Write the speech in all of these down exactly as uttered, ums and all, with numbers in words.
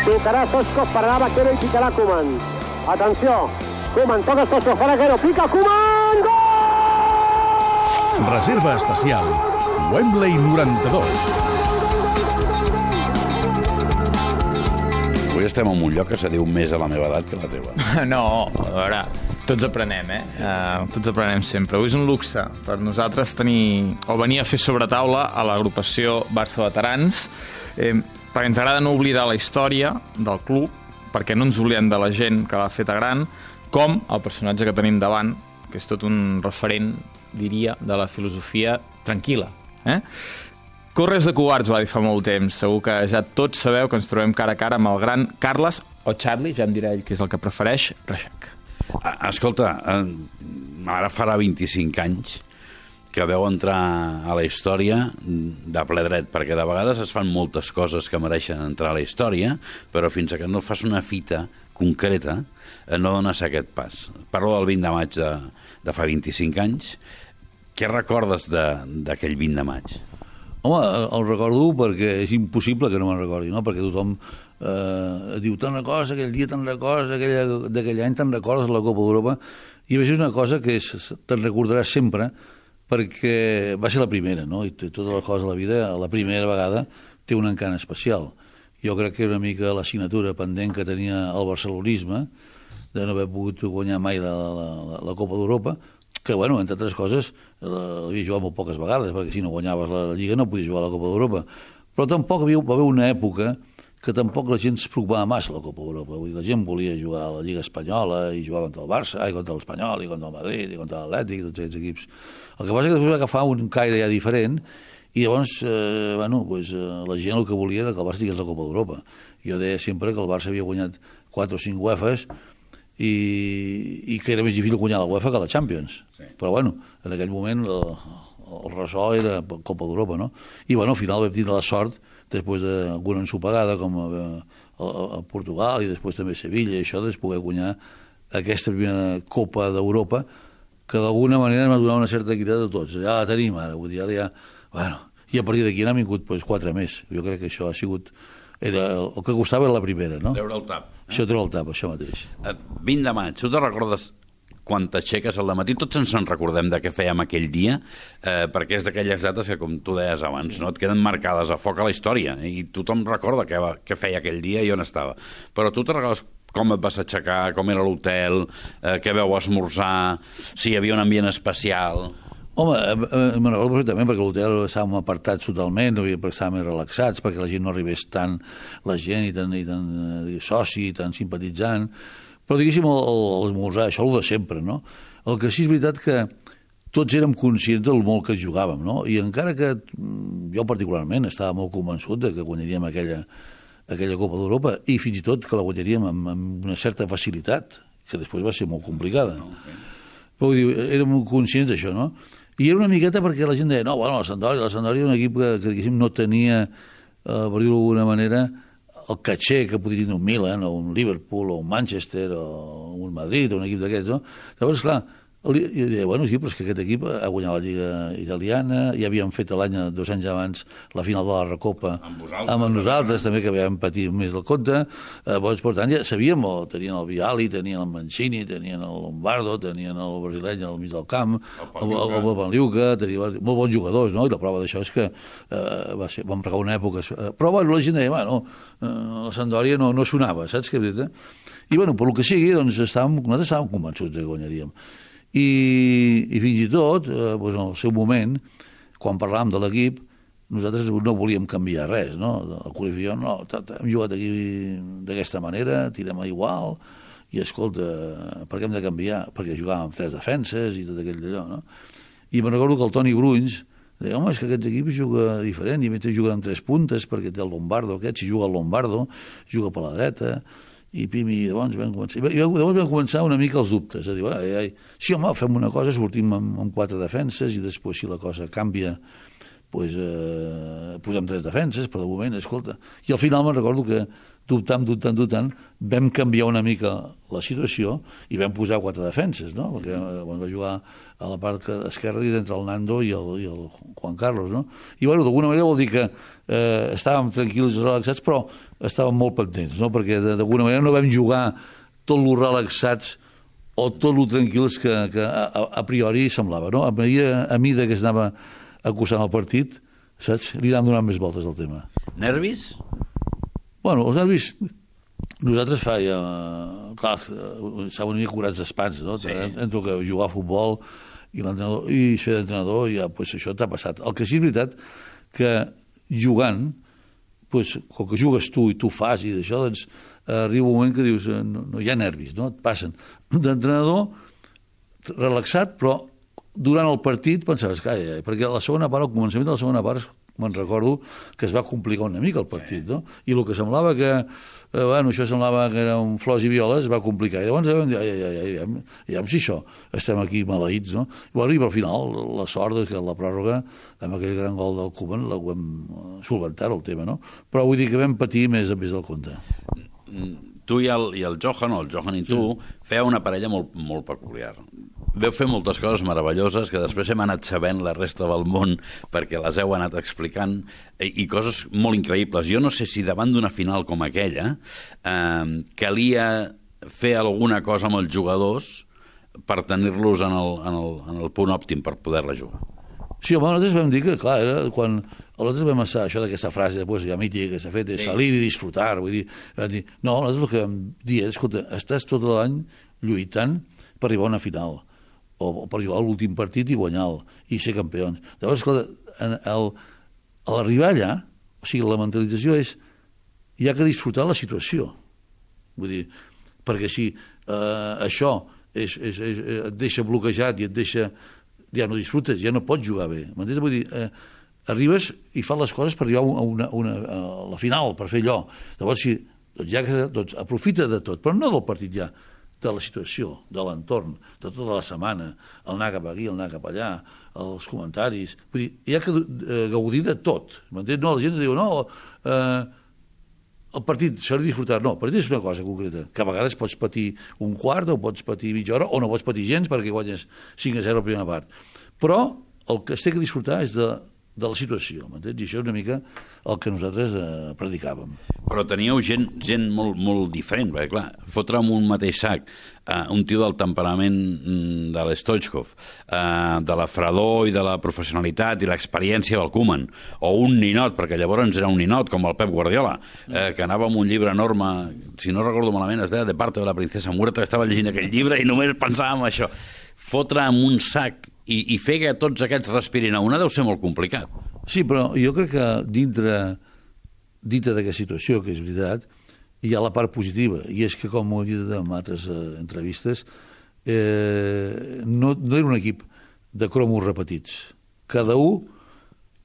Tocarà Soscos, pararà Vaquero i picarà Koeman. Atenció, Koeman toca Soscos, fa Vaquero, pica Koeman, gol! Reserva especial Wembley noranta-dos. Avui estem en un lloc que se diu més a la meva edat que la teva. No, a veure, tots aprenem, eh? Uh, tots aprenem sempre. Avui és un luxe per nosaltres tenir o venir a fer sobretaula a l'agrupació Barça Veterans, eh, perquè ens agrada no oblidar la història del club, perquè no ens oblidem de la gent que l'ha feta gran, com el personatge que tenim davant, que és tot un referent, diria, de la filosofia tranquil·la. Eh? Corres de covards, va dir fa molt temps. Segur que ja tots sabeu que ens trobem cara a cara amb el gran Carles, o Charlie, ja em dirà ell que és el que prefereix, Reixac. Escolta, ara farà vint-i-cinc anys que veu entrar a la història de ple dret, perquè de vegades es fan moltes coses que mereixen entrar a la història, però fins que no fas una fita concreta no dones aquest pas. Parlo del vint de maig de, de fa vint-i-cinc anys. Què recordes d'aquell vint de maig? Home, el recordo perquè és impossible que no me'n recordi, no? Perquè tothom eh, diu, te'n recordes aquell dia, te'n recordes d'aquell any, te'n recordes la Copa d'Europa, i a més és una cosa que és, te'n recordaràs sempre perquè va ser la primera, no? I totes les coses de la vida, la primera vegada té un encant especial. Jo crec que era una mica l'assignatura pendent que tenia el barcelonisme de no haver pogut guanyar mai la, la, la, la Copa d'Europa, que, bueno, entre altres coses, l'havia jugat molt poques vegades, perquè si no guanyaves la Lliga no podies jugar a la Copa d'Europa. Però tampoc havia, va haver una època que tampoc la gent es preocupava massa a la Copa d'Europa. Vull dir, la gent volia jugar a la Lliga Espanyola i jugar contra el Barça, i contra l'Espanyol, i contra el Madrid, i contra l'Atlètic, tots aquests equips. El que passa és que després va agafar un caire ja diferent, i llavors, eh, bueno, pues, eh, la gent el que volia era que el Barça tingués la Copa d'Europa. Jo deia sempre que el Barça havia guanyat quatre o cinc UEFAs, I, i que era més difícil guanyar la UEFA que la Champions. Sí. Però, bueno, en aquell moment el, el ressò era Copa d'Europa, no? I, bueno, al final vam tenir la sort, després d'alguna ensopegada, com a, a, a Portugal i després també a Sevilla, i això, de poder guanyar aquesta primera Copa d'Europa, que d'alguna manera m'ha donat una certa equitat de tots. Ja la tenim ara, vull dir, ara ja... Bueno, i a partir d'aquí n'han vingut pues, quatre més. Jo crec que això ha sigut... Era, el que costava era la primera, no? Treure el tap. Eh? Això treure el tap, això mateix. Uh, vint de maig, tu te recordes quan t'aixeques al matí? Tots ens en recordem de què fèiem aquell dia, eh, perquè és d'aquelles dates que, com tu deies abans, no et queden marcades a foc a la història, i tothom recorda què, va, què feia aquell dia i on estava. Però tu te recordes com et vas aixecar, com era l'hotel, eh, què veu esmorzar, si hi havia un ambient especial... Home, me'n recordo perfectament, perquè l'hotel estàvem apartats totalment, no havia estàvem més relaxats, perquè la gent no arribés tant, la gent, i tan, i tan eh, soci, i tan simpatitzant. Però, diguéssim, l'esmorzar, això el de sempre, no? El que sí és veritat que tots érem conscients del molt que jugàvem, no? I encara que jo particularment estava molt convençut de que guanyaríem aquella, aquella Copa d'Europa, i fins i tot que la guanyaríem amb, amb una certa facilitat, que després va ser molt complicada. Okay. Però vull dir, érem conscients d'això, no? I era una miqueta perquè la gent deia, no, bueno, la Sampdoria, la Sampdoria era un equip que, que diguéssim, no tenia, eh, per dir-ho d'alguna manera, el caché que podria tenir un Milan, o un Liverpool, o un Manchester, o un Madrid, o un equip d'aquests, no? Llavors, clar, jo deia, bueno, sí, però és que aquest equip ha guanyat la Lliga Italiana, ja havíem fet l'any, dos anys abans, la final de la Recopa amb, vosaltres, amb nosaltres, també, que havíem patit més del compte. Eh, doncs, per tant, ja sabíem, o tenien el Vialli, tenien el Mancini, tenien el Lombardo, tenien el brasileny al mig del camp, el, el, el Panliuca, tenien molt bons jugadors, no? I la prova d'això és que eh, va ser, vam regar una època... Eh, però, bueno, la gent deia, bueno, eh, la Sampdoria no, no sonava, saps què? Eh? I, bueno, per lo que sigui, doncs, estàvem, nosaltres estàvem convençuts que guanyaríem. I, i fins i tot, eh, doncs en el seu moment, quan parlàvem de l'equip, nosaltres no volíem canviar res, no? El Cruyff i jo, no, hem jugat aquí d'aquesta manera, tirem a igual, i escolta, per què hem de canviar? Perquè jugàvem amb tres defenses i tot aquell d'allò, no? I me'n recordo que el Toni Brunys deia, home, és que aquest equip juga diferent, i mentre juga amb tres puntes, perquè té el Lombardo aquest, si juga el Lombardo, juga per la dreta, i pim, i llavors vam començar, i llavors vam començar una mica els dubtes, a dir, ai, ai, sí, home, fem una cosa, sortim amb, amb quatre defenses, i després si la cosa canvia pues, eh, posem tres defenses, però de moment, escolta... I al final me'n recordo que dubtant, dubtant, dubtant, vam canviar una mica la situació i vam posar quatre defenses, no? Perquè eh, quan va jugar a la part esquerra i entre el Nando i el, i el Juan Carlos, no? I, bueno, d'alguna manera vol dir que eh, estàvem tranquils i relaxats, però estàvem molt pendents, no? Perquè d'alguna manera no vam jugar tot lo relaxats o tot lo tranquils que, que a, a priori semblava, no? A mesura, a mesura que es anava acusant el partit, saps? Li anàvem donant més voltes al tema. Nervis? Bueno, els nervis... Nosaltres fa ja... Clar, estàvem una mica curats d'espans, no? Sí. Entre que jugar a futbol i l'entrenador i ser d'entrenador, ja, pues, això t'ha passat. El que sí és veritat que jugant, pues, com que jugues tu i tu fas i d'això, doncs arriba un moment que dius no, no hi ha nervis, no? Et passen. D'entrenador, relaxat, però durant el partit pensaves, calla, perquè a la segona part, al començament de la segona part, me'n recordo que es va complicar una mica el partit, no? I el que semblava que, eh, bueno, això semblava que eren flors i violes, es va complicar. I llavors vam dir, ai, ai, ai, ai, ja si això, estem aquí maleïts, no? I, bueno, i al final, la sort és que la pròrroga, amb aquell gran gol del Koeman, la vam solventar el tema, no? Però vull dir que vam patir més a més del compte. Tu i el, i el Johan, o el Johan i tu, sí. Feu una parella molt, molt peculiar. Veu fer moltes coses meravelloses que després hem anat sabent la resta del món perquè les heu anat explicant i, i coses molt increïbles. Jo no sé si davant d'una final com aquella eh, calia fer alguna cosa amb els jugadors per tenir-los en el, en, el, en el punt òptim per poder-la jugar. Sí, home, nosaltres vam dir que, clar, era quan nosaltres vam estar, això d'aquesta frase pues, ja mítica que s'ha fet, de sí. Salir i disfrutar, vull dir, dir, no, nosaltres el que vam dir és, escolta, estàs tot l'any lluitant per arribar a una final, o, o per jugar a l'últim partit i guanyar-lo, i ser campió. Llavors, escolta, en el, a l'arribar allà, o sigui, la mentalització és, hi ha que disfrutar la situació, vull dir, perquè si eh, això és, és, és, et deixa bloquejat i et deixa... ja no disfrutes, ja no pots jugar bé. M'entens? Vull dir, eh, arribes i fas les coses per arribar a, una, una, a la final, per fer allò. Llavors, si, doncs ja que doncs, aprofita de tot, però no del partit ja, de la situació, de l'entorn, de tota la setmana, el anar cap aquí, el anar cap allà, els comentaris... Vull dir, hi ha que eh, gaudir de tot. M'entens? No, la gent diu, no... Eh, el partit s'ha de disfrutar, no, el partit és una cosa concreta, que a vegades pots patir un quart o pots patir mitja hora o no pots patir gens perquè guanyes cinc a zero a la primera part. Però el que es té que disfrutar és de, de la situació, m'entens? I això és una mica el que nosaltres eh, predicàvem. Però teníeu gent, gent molt, molt diferent, perquè clar, fotre amb un mateix sac eh, un tio del temperament de l'Stoichkov, eh, de la fredor i de la professionalitat i l'experiència del Koeman, o un ninot, perquè llavors era un ninot, com el Pep Guardiola, eh, que anava amb un llibre enorme, si no recordo malament, es deia De parte de la princesa muerta, que estava llegint aquell llibre i només pensava en això. Fotre amb un sac i, i fer que tots aquests respirin a una deu ser molt complicat. Sí, però jo crec que dintre, dintre d'aquesta situació, que és veritat, hi ha la part positiva, i és que, com ho he dit en altres eh, entrevistes, eh, no, no era un equip de cromos repetits. Cada un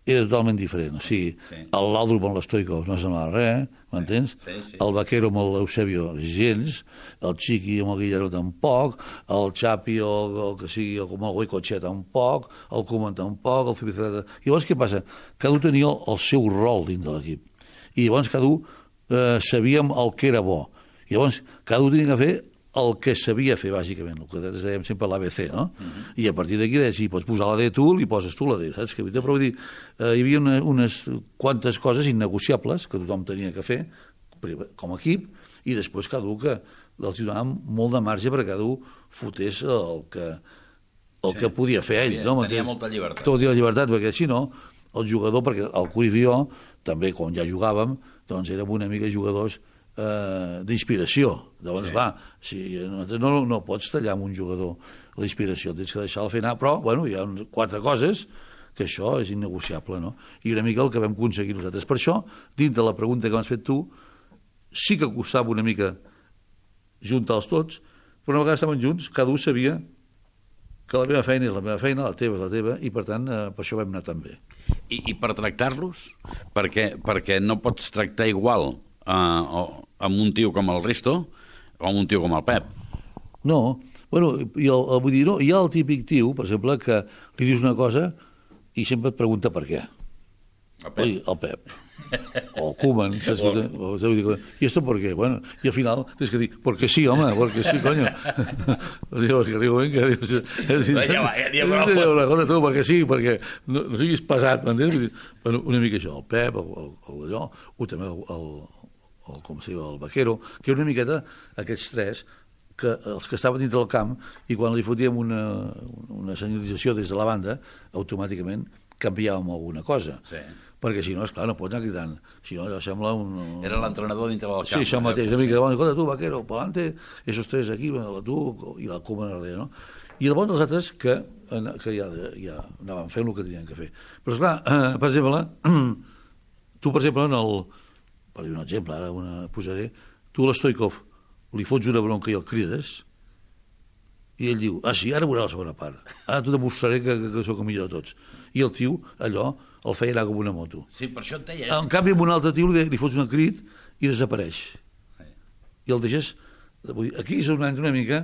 era totalment diferent. O sigui, sí. L'Aldrup amb l'Stoikov no semblava res, m'entens? Sí, sí, sí. El Vaquero amb l'Eusebio gens, el Chiqui amb el Guillermo tampoc, el Chapi o el que sigui, o com el Goicoechea tampoc, el Koeman tampoc, el Zubizarreta... I llavors què passa? Cada un tenia el, el seu rol dins de l'equip. I llavors cada un eh, sabíem el que era bo. I llavors cada un tenia que fer el que sabia fer, bàsicament, el que dèiem sempre l'A B C, no? Uh-huh. I a partir d'aquí, si pots posar la D tu, li poses tu la D, saps? Que, però vull dir, eh, hi havia una, unes quantes coses innegociables que tothom tenia que fer com a equip, i després cada un que els donàvem molt de marge perquè cada un fotés el que, el sí. que podia fer ell. No? Tenia molta llibertat. Tenia llibertat, perquè si no, el jugador, perquè el Cruyff i jo, també quan ja jugàvem, doncs érem una mica jugadors Eh, d'inspiració. Llavors, sí. va, si, no, no pots tallar amb un jugador la inspiració, tens que deixar-la fer anar, però, bueno, hi ha quatre coses que això és innegociable, no? I una mica el que vam aconseguir nosaltres. Per això, dins de la pregunta que m'has fet tu, sí que costava una mica juntar-los tots, però una vegada estaven junts, cada un sabia que la meva feina és la meva feina, la teva és la teva, i per tant, eh, per això vam anar tan bé. I, i per tractar-los? Perquè, perquè no pots tractar igual Uh, o, amb un tio com el Risto o amb un tio com el Pep. No, bueno, i el, el, vull dir, no, hi ha el típic tio, per exemple, que li dius una cosa i sempre et pregunta per què. El Pep. Oi, el Pep. O el Koeman. ¿Sabes? O, o, ¿Y esto por qué? Bueno, y al final tienes que dir, porque sí, home, porque sí, coño. Digo, que riu, vinga. Ja va, ja n'hi ha prou. Escolta, tu, perquè sí, perquè no, no siguis pesat, m'entens? Bueno, una mica això, el Pep, el, el, el allò, o també el, el, el, com se diu, el Vaquero, que era una miqueta aquests tres, que els que estaven dintre del camp, i quan li fotíem una, una senyalització des de la banda, automàticament canviàvem alguna cosa. Sí. Perquè si no, esclar, no pots anar cridant. Si no, allò sembla un... Era l'entrenador dintre del camp. Sí, això mateix. Una mica, bueno, escolta, tu, Vaquero, pelante, esos tres aquí, la tu i la Koeman darrere, no? I llavors els altres que, que ja, ja anaven fent el que tenien que fer. Però, esclar, eh, per exemple, tu, per exemple, en el... Per dir un exemple, ara una posaré, tu a l'Stoikov li fots una bronca i el crides, i ell diu, ah, sí, ara veurà la segona part. Ara t'ho demostraré que, que, que sóc el millor de tots. I el tio, allò, el feia anar com una moto. Sí, per això et deia... En canvi, amb un altre tio li, li fots un crit i desapareix. Sí. I el deixes... Vull dir, aquí és on entra una mica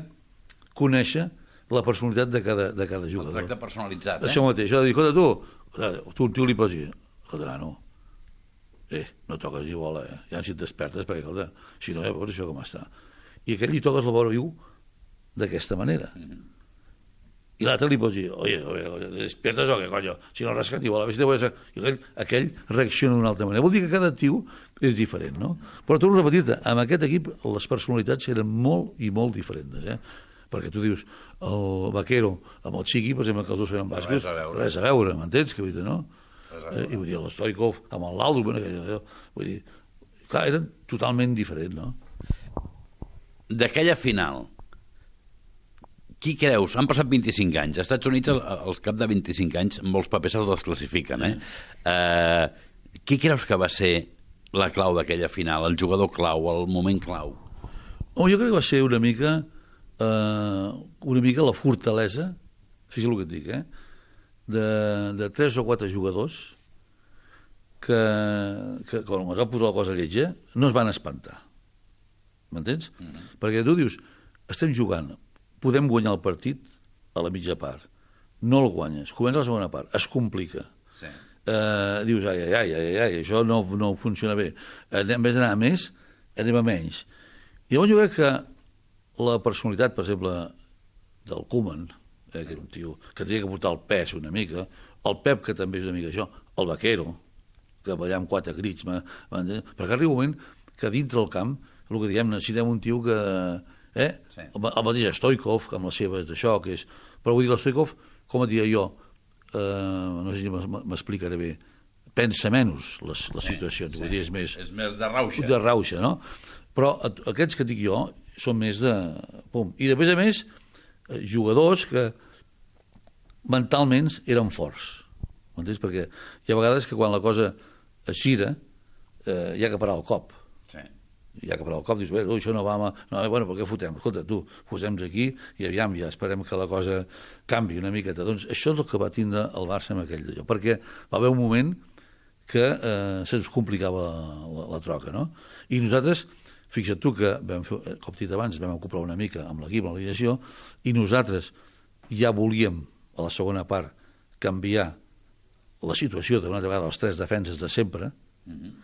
conèixer la personalitat de cada, de cada jugador. El tracte personalitzat, eh? Això mateix. Això de dir, escolta, tu, tu un tio li pots dir, escolta, no, eh, no toques ni bola, eh? Ja si et despertes, perquè, escolta, si no, ja veus això com està. I aquell li toques la vora viu d'aquesta manera. Mm-hmm. I l'altre li pots dir, oye, oye, oye, despiertes o què, coño? Si no rascat igual, a veure si te voy a ser... I aquell, aquell reacciona d'una altra manera. Vol dir que cada tio és diferent, no? Però torno a repetir-te, amb aquest equip les personalitats eren molt i molt diferents, eh? Perquè tu dius, el Vaquero amb el Chiqui, per exemple, que els dos eren bascos, res a veure, res a veure, m'entens? Que vull dir, no? Eh, I vull dir, l'Stoikov amb el Laldo, bueno, vull dir, clar, eren totalment diferents, no? D'aquella final, qui creus? Han passat vint-i-cinc anys. Als Estats Units, als cap de vint-i-cinc anys, molts papers se'ls desclassifiquen, eh? Uh, qui creus que va ser la clau d'aquella final, el jugador clau, el moment clau? Oh, jo crec que va ser una mica uh, una mica la fortalesa, fixa't el que et dic, eh? De, de tres o quatre jugadors que, que quan es va posar la cosa lletja, no es van espantar. M'entens? Mm-hmm. Perquè tu dius, estem jugant, podem guanyar el partit a la mitja part. No el guanyes. Comença la segona part. Es complica. Sí. Eh, dius, ai, ai, ai, ai, ai, això no, no funciona bé. En vez d'anar a més, anem a menys. I llavors jo crec que la personalitat, per exemple, del Koeman, eh, que era un tio que tenia que portar el pes una mica, el Pep, que també és una mica això, el Vaquero, que va allà amb quatre crits, perquè arriba un moment que dintre del camp, el que diem, necessitem un tio que... Eh? Sí. El, el mateix Stoikov, amb les seves d'això, que és... Però vull dir, l'Stoikov, com et diria jo, eh, no sé si m'explicaré bé, pensa menys les, les sí, situacions, sí. Vull dir, és més... És més de rauxa. De rauxa, no? Però aquests que dic jo són més de... Pum. I després, a més, jugadors que mentalment eren forts. M'entens? Perquè hi ha vegades que quan la cosa es gira, eh, hi ha que parar el cop. Sí. Ja que per al cop dius, bé, això no va... No, bueno, per què fotem? Escolta, tu, posem-nos aquí i aviam, ja esperem que la cosa canvi una miqueta. Doncs això és el que va tindre el Barça amb aquell d'allò, perquè va haver un moment que eh, se'ns complicava la, la troca, no? I nosaltres, fixa't tu que, vam fer, com dit abans, vam ocupar una mica amb l'equip, amb la lideració, i nosaltres ja volíem, a la segona part, canviar la situació d'una altra vegada, les tres defenses de sempre, mm-hmm.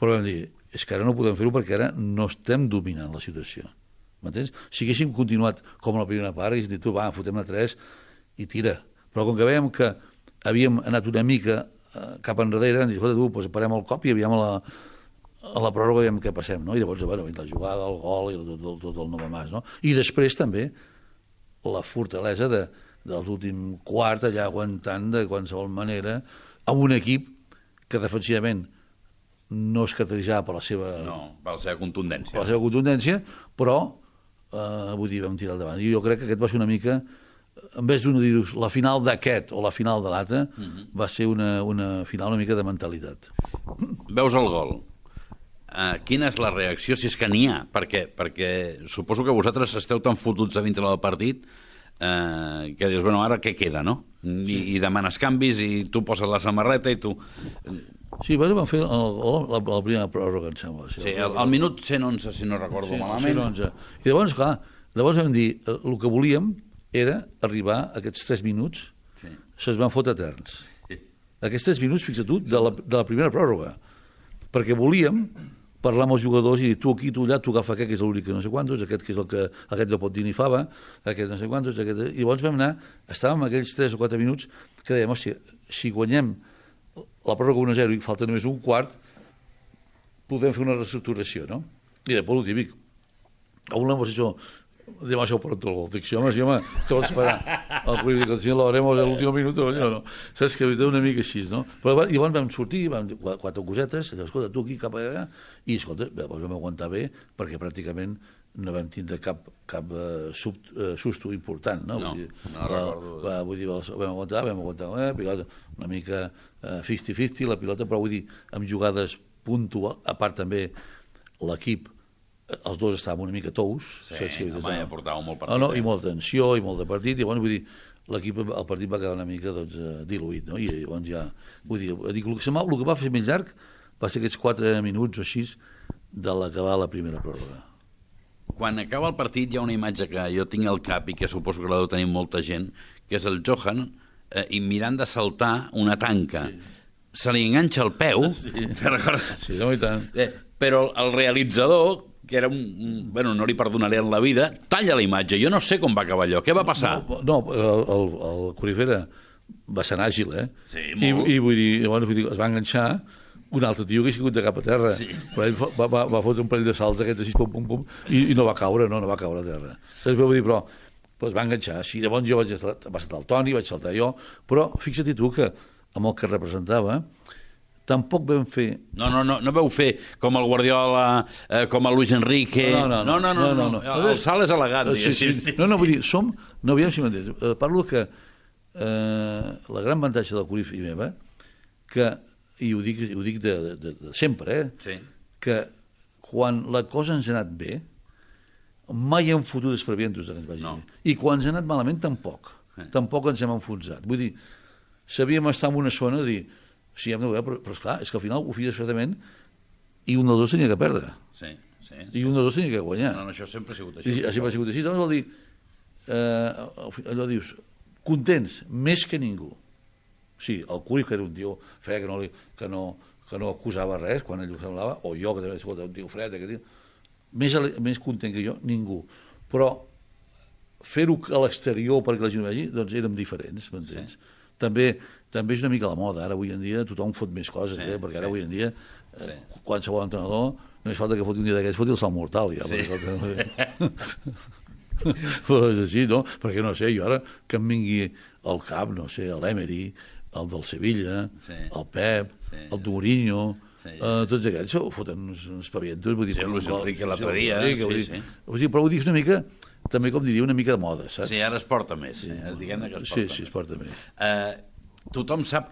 Però vam dir, és que ara no podem fer-ho perquè ara no estem dominant la situació. M'entens? Si haguéssim continuat com la primera part, haguéssim dit, tu, va, fotem-ne tres i tira. Però com que veiem que havíem anat una mica eh, cap enrere, hem dit, escolta, tu, doncs parem el cop i aviam a la, a la pròrroga veiem què passem, no? I llavors, bueno, la jugada, el gol i tot, tot, tot el nou mas, no? I després també la fortalesa de, dels últims quart allà aguantant de qualsevol manera amb un equip que defensivament no es caracteritzava per la seva... No, per la seva contundència. Per la seva contundència, però, eh, vull dir, vam tirar endavant. I jo crec que aquest va ser una mica, en vez d'una dir la final d'aquest o la final de l'altre, uh-huh. va ser una, una final una mica de mentalitat. Veus el gol. Uh, quina és la reacció, si és que n'hi ha? Perquè, perquè suposo que vosaltres esteu tan fotuts a dintre del partit uh, que dius, bueno, ara què queda, no? I, sí. I demanes canvis i tu poses la samarreta i tu... Sí, bueno, vam fer el, el, la, la primera pròrroga, em sembla. Sí, sí el, el minut cent onze, si no recordo sí, malament. cent onze. I llavors, clar, llavors vam dir, el que volíem era arribar a aquests tres minuts, sí. Se'ns van fotre eterns. Sí. aquests tres minuts, fixa't tu, de la, de la primera pròrroga, perquè volíem parlar amb els jugadors i dir, tu aquí, tu allà, tu agafa aquest, que és l'únic que no sé quantos, aquest que és el que aquest no pot dir ni fava, aquest no sé quantos, aquest... I llavors vam anar, estàvem aquells tres o quatre minuts que dèiem, hòstia, si guanyem la pròrroga un a zero i falta només un quart, podem fer una reestructuració, no? I després el típic, aún lo hemos hecho demasiado pronto el gol. Dic, sí, home, sí, home, te vas esperar. El Cruyff dic, si lo haremos en l'últim minut, no, no. Saps que una mica així, no? Però llavors vam sortir, vam dir quatre cosetes, escolta, tu aquí, cap allà, i escolta, vam aguantar bé, perquè pràcticament no vam tindre cap, cap uh, sub, uh, susto important, no? No, vull dir, no recordo. Va, vull dir, vam aguantar, vam aguantar, eh, pilota, una mica uh, cinquanta cinquanta la pilota, però vull dir, amb jugades puntuals, a part també l'equip, els dos estàvem una mica tous. Sí, home, ja portàvem molt partit. No, no, i molta tensió, i molt de partit, i llavors, vull dir, l'equip, el partit va quedar una mica, doncs, diluït, no? I llavors ja, vull dir, dic, el que, el que va fer més llarg va ser aquests quatre minuts o així de l'acabar la primera pròrroga. Quan acaba el partit hi ha una imatge que jo tinc al cap i que suposo que la deu tenir molta gent, que és el Johan, eh, i mirant de saltar una tanca. Sí. Se li enganxa el peu, sí, sí no, i tant. Eh, però el realitzador, que era un, un... Bueno, no li perdonaré en la vida, talla la imatge. Jo no sé com va acabar allò. Què va passar? No, no el, el, el Corifera va ser àgil, eh? Sí, molt. I, i vull dir, llavors, vull dir, es va enganxar un altre tio que ha sigut de cap a terra. Sí. Però ell va, va, va fotre un parell de salts aquests així, pum, pum, pum, i, i no va caure, no, no va caure a terra. Després vull dir, però, però es va enganxar. Sí, llavors jo vaig saltar, va saltar el Toni, vaig saltar jo, però fixa't tu que amb el que representava tampoc vam fer... No, no, no, no vau fer com el Guardiola, eh, com el Luis Enrique... No, no, no. no, no, no, no, no. El salt és elegant. Sí, sí, sí. No, no, vull dir, som... No, aviam si m'entens. Eh, parlo que eh, la gran avantatge del Cruyff i meva, que, i ho dic, ho dic de, de, de sempre, eh, sí. que quan la cosa ens ha anat bé, mai hem fotut desprevientos de que ens vagi no. bé. I quan ens ha anat malament, tampoc. Eh. Tampoc ens hem enfonsat. Vull dir, sabíem estar en una zona de dir... Sí, hem de veure, però, però esclar, és que al final ho feies fredament i un dels dos tenia que perdre. Sí, sí. sí. I un dels dos tenia que guanyar. No, no, això sempre ha sigut així. I, sempre ha sigut així. Llavors vol dir, eh, allò dius, contents, més que ningú. Sí, el Cruyff, que era un tio fred, que no, li, que no, que no acusava res quan ell ho semblava, o jo, que també era un tio fred, que tio, més, més content que jo, ningú. Però fer-ho a l'exterior perquè la gent ho vegi, doncs érem diferents, m'entens? Sí. També, també és una mica la moda, ara avui en dia tothom fot més coses, sí, eh? Perquè ara sí. avui en dia eh, sí. qualsevol entrenador només falta que foti un dia d'aquests, foti el salt mortal ja, sí. perquè, però és així, no? Perquè no sé, jo ara que em vingui al cap, no sé, l'Emery, el del Sevilla, sí. el Pep, sí. el Mourinho, sí, sí. Uh, tots aquests ho foten uns, uns pavientos, vull dir, sí, el Luis Enrique l'altre dia, sí, vull dir, sí. Vull dir, però vull dir una mica, també com diria, una mica de moda, saps? Sí, ara es porta més, sí, eh? Diguem que es porta sí, més. Sí, es porta més. Uh, tothom sap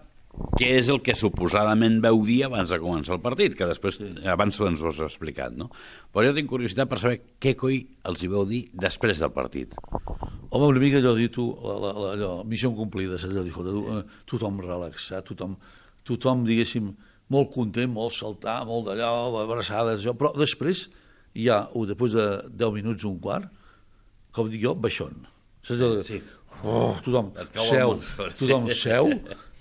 què és el que suposadament veu dir abans de començar el partit, que després, sí. abans ens ho has explicat, no? Però jo tinc curiositat per saber què coi els hi veu dir després del partit. Home, una mica allò dir tu, la, la, la, allò, missió complida, allò dir, eh, tothom relaxat, tothom, tothom, diguéssim, molt content, molt saltar, molt d'allò, abraçades, allò, però després hi ha, després de deu minuts, un quart, com dic jo, baixón. Saps allò de... Sí. Oh, tothom seu, tothom seu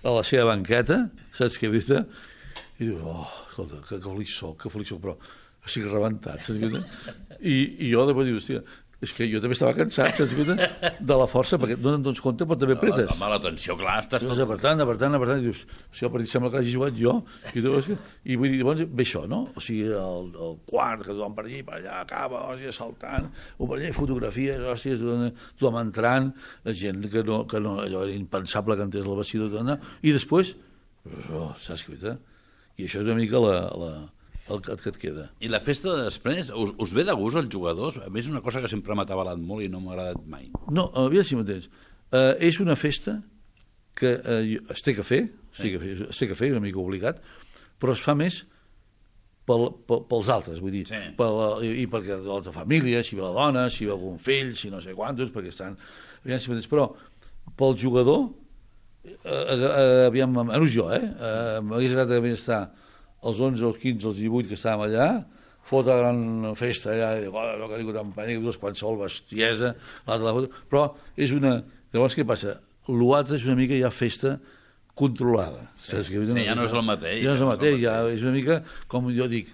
a la seva banqueta, saps què he vist? I dius, oh, escolta, que, que feliç soc, que feliç soc, però estic rebentat, saps què? I, i jo després dius, hòstia, és que jo també estava cansat, saps què? De la força, perquè no te'n dones compte, però també apretes. Home, l'atenció, clar, estàs tot... Apretant, apretant, apretant, i dius, si el partit sembla que hagi jugat jo, i, tu, i vull dir, llavors ve això, no? O sigui, el, el quart, que tothom per allà, per allà, acaba, hòstia, saltant, o per allà, fotografies, hòstia, tothom, tothom entrant, gent que no, que no, allò era impensable que entés el vestidor, i després, oh, saps què? I això és una mica la... la el que et queda. I la festa de després, us, us ve de gust als jugadors? A més, és una cosa que sempre m'ha atabalat molt i no m'ha agradat mai. No, aviam si m'entens. Uh, és una festa que uh, es té que fer, sí. es, té que fer es té que fer, una mica obligat, però es fa més pel, pel, pels altres, vull dir, sí. pel, i perquè de l'altra família, si ve la dona, si ve algun fill, si no sé quantos, perquè estan... Aviam si m'entens, però pel jugador, uh, uh, aviam, menys jo, eh? Uh, m'hagués agradat més estar els onze, els quinze, els divuit que estàvem allà, fota gran festa allà, i dic, oh, no que ningú t'empanya, dos qualsevol bestiesa, l'altre la foto, però és una... Llavors què passa? L'altre és una mica ja festa controlada. Sí, sí, ja no és el mateix. Ja no és el mateix, ja és una mica, com jo dic,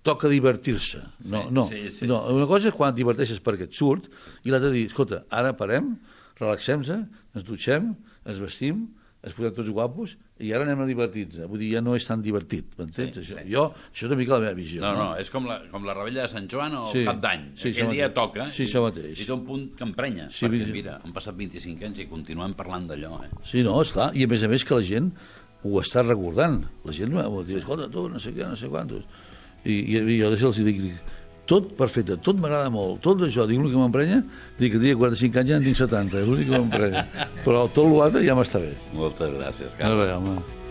toca divertir-se. No, no, sí, sí, no. Una cosa és quan et diverteixes perquè et surt, i l'altra dir, escolta, ara parem, relaxem-se, ens dutxem, ens vestim, ens posem tots guapos, i ara anem a divertir-nos. Vull dir, ja no és tan divertit, m'entens? Sí, sí. Jo, això és una mica la meva visió. No, no, és com la, com la rebella de Sant Joan o sí, Cap d'Any. sí, Aquell dia toca sí, i, mateix. i té un punt que emprenya. Sí, perquè, sí. mira, han passat vint-i-cinc anys i continuem parlant d'allò. Eh? Sí, no, esclar. I a més a més que la gent ho està recordant. La gent m'ho diu, escolta, tu, no sé què, no sé quantos. I, i, i jo els dic, tot perfecte, tot m'agrada molt, tot això, dic, l'únic que m'emprenya, dic que tenia quaranta-cinc anys ja en tinc setanta, és l'únic que m'emprenya. Però tot l'altre ja m'està bé. Moltes gràcies, Carles. No, home.